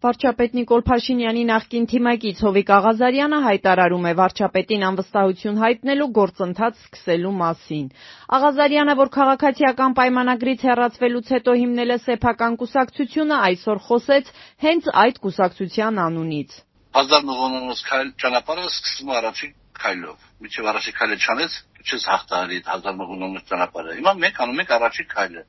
Վարչապետ Նիկոլ Փաշինյանի նախկին թիմակից Հովիկ Աղազարյանը հայտարարում է վարչապետին անվստահություն հայտնելու գործընթաց սկսելու մասին։ Աղազարյանը, որ քաղաքացիական պայմանագրից հեռացվելուց հետո հիմնել է սեփական կուսակցությունը, այսօր խոսեց հենց այդ կուսակցության անունից։ 1000 ճանապարհը սկսվում է առաջին քայլով։ Միջև առաջին քայլը չանեց, չես հաղթահարի 1000 ճանապարհը։ Հիմա մենք անում ենք առաջին քայլը։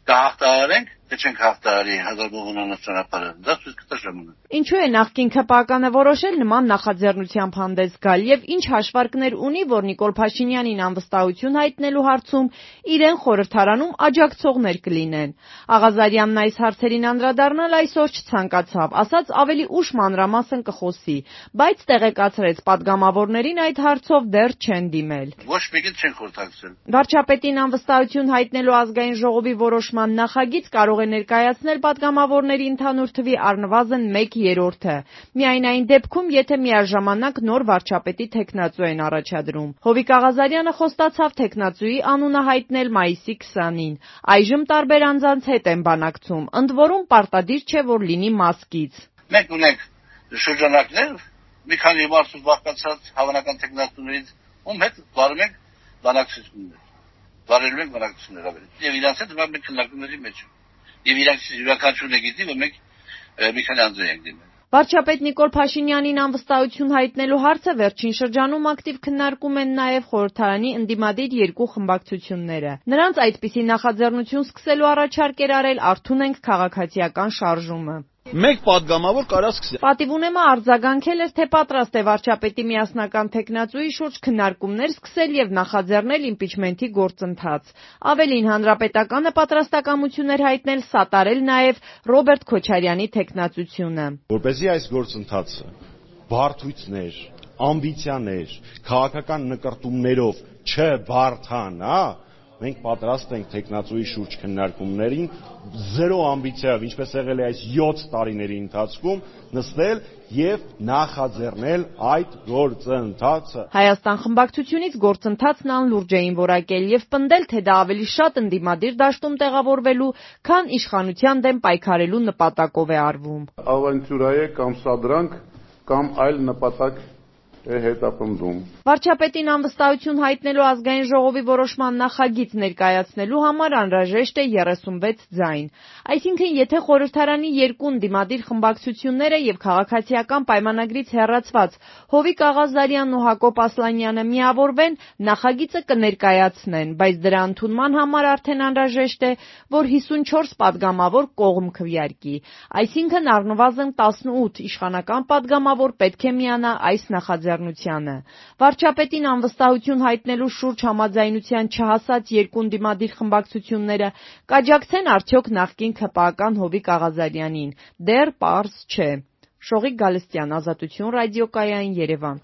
Կհաղթահարենք, թե չենք հաղթահարի 1000 ճանապարհը, դա ցույց կտա ժամանակը։ Ինչու է նախկին ՔՊԱԿ-ը որոշել նման նախաձեռնությամբ հանդես գալ եւ ինչ հաշվարկներ ունի, որ Նիկոլ Փաշինյանին անվստահություն հայտնելու հարցում իրեն խորհրդարանում աջակցողներ կլինեն։ Աղազարյանն այս հարցերին անդրադառնալ այսօր չցանկացավ, ասաց ավելի ուշ մանրամասն կխոսի, բայց տեղեկացրեց պատգամավորներին այդ հարցով դեռ չեն դիմել։ Ոչ մեկին չեն խորհրդակցել։ Վարչապետին անվստահություն հայտնելու ազգային ժողովի որոշման նախագիծ կարող է ներկայացնել պատգամավորների ընդհանուր թվի առնվազն 1/3-ը։ Միայն այն դեպքում, եթե միաժամանակ նոր վարչապետի թեկնածու են առաջադրում։ Հովիկ Աղազարյանը խոստացավ թեկնածուի անունը հայտնել մայիսի 20-ին։ Այժմ տարբեր անձանց հետ են բանակցում, ընդ որում պարտադիր չէ, որ լինի մասկից։ Մենք ունենք շրջանակներ, մի քանի մարդու բաղկացած հավանական թեկնածուներից, ում հետ վարում ենք բանակցություններ։ Վարելու ենք բանակցություններ ավելի։ Եվ իրանց հետ մենք քննարկումների մեջ ենք։ Եվ իրանք յուրաքանչյուրը գիտի, որ մենք մի քանի անձրի ենք դիմել։ Վարչապետ Նիկոլ Փաշինյանին անվստահություն հայտնելու հարցը վերջին շրջանում ակտիվ քննարկում են նաև խորհրդարանի ընդդիմադիր երկու խմբակցությունները։ Նրանց այդպիսի նախաձեռնություն սկսելու առաջարկ էր արել «Արթուն ենք» քաղաքացիական շարժումը։ Մեկ պատգամավոր կարա սկսի։ Պատիվունեմը արձագանքել էր, թե պատրաստ է վարչապետի միասնական թեկնածուի շուրջ քննարկումներ սկսել եւ նախաձեռնել իմպիչմենթի գործընթաց։ Ավելին, Հանրապետականը պատրաստակամություն էր հայտնել սատարել նաեւ Ռոբերտ Քոչարյանի թեկնածությունը։ Որպեսզի այս գործընթացը բարդություններ, ամբիցիաներ, քաղաքական նկրտումներով չբարդանա, մենք պատրաստ ենք թեկնածուի շուրջ քննարկումներին զերո ամբիցիայով, ինչպես եղել է այս 7 տարիների ընթացքում, նստել եւ նախաձեռնել այդ գործընթացը։ Հայաստան խմբակցությունից գործընթացն անլուրջ էին որակել եւ պնդել, թե դա ավելի շատ ընդդիմադիր դաշտում տեղավորվելու, քան իշխանության դեմ պայքարելու նպատակով է արվում։ Ավանտյուրայե կամ սադրանք կամ այլ նպատակ հետապնդում։ Վարչապետին անվստահություն հայտնելու ազգային ժողովի որոշման նախագիծ ներկայացնելու համար անհրաժեշտ է 36 ձայն։ Այսինքն, եթե խորհրդարանի երկու ընդդիմադիր խմբակցությունները եւ քաղաքացիական պայմանագրից հեռացված Հովիկ Աղազարյանն ու Հակոբ Ասլանյանը միավորվեն, նախագիծը կներկայացնեն, բայց դրա ընդունման համար արդեն անհրաժեշտ է, որ 54 պատգամավոր կողմ քվեարկի։ Այսինքն, առնվազն 18 իշխանական պատգամավոր պետք է միանա այս նախաձեռնությանը։ Վարչապետին անվստահություն հայտնելու շուրջ համաձայնության չհասած երկու ընդդիմադիր խմբակցությունները կաջակցեն արդյոք նախկին ՔՊԱԿ-ական Հովիկ Աղազարյանին։ Դեռ պարզ չէ։ Շողիկ Գալստյան, Ազատություն ռադիոկայան, Երևան։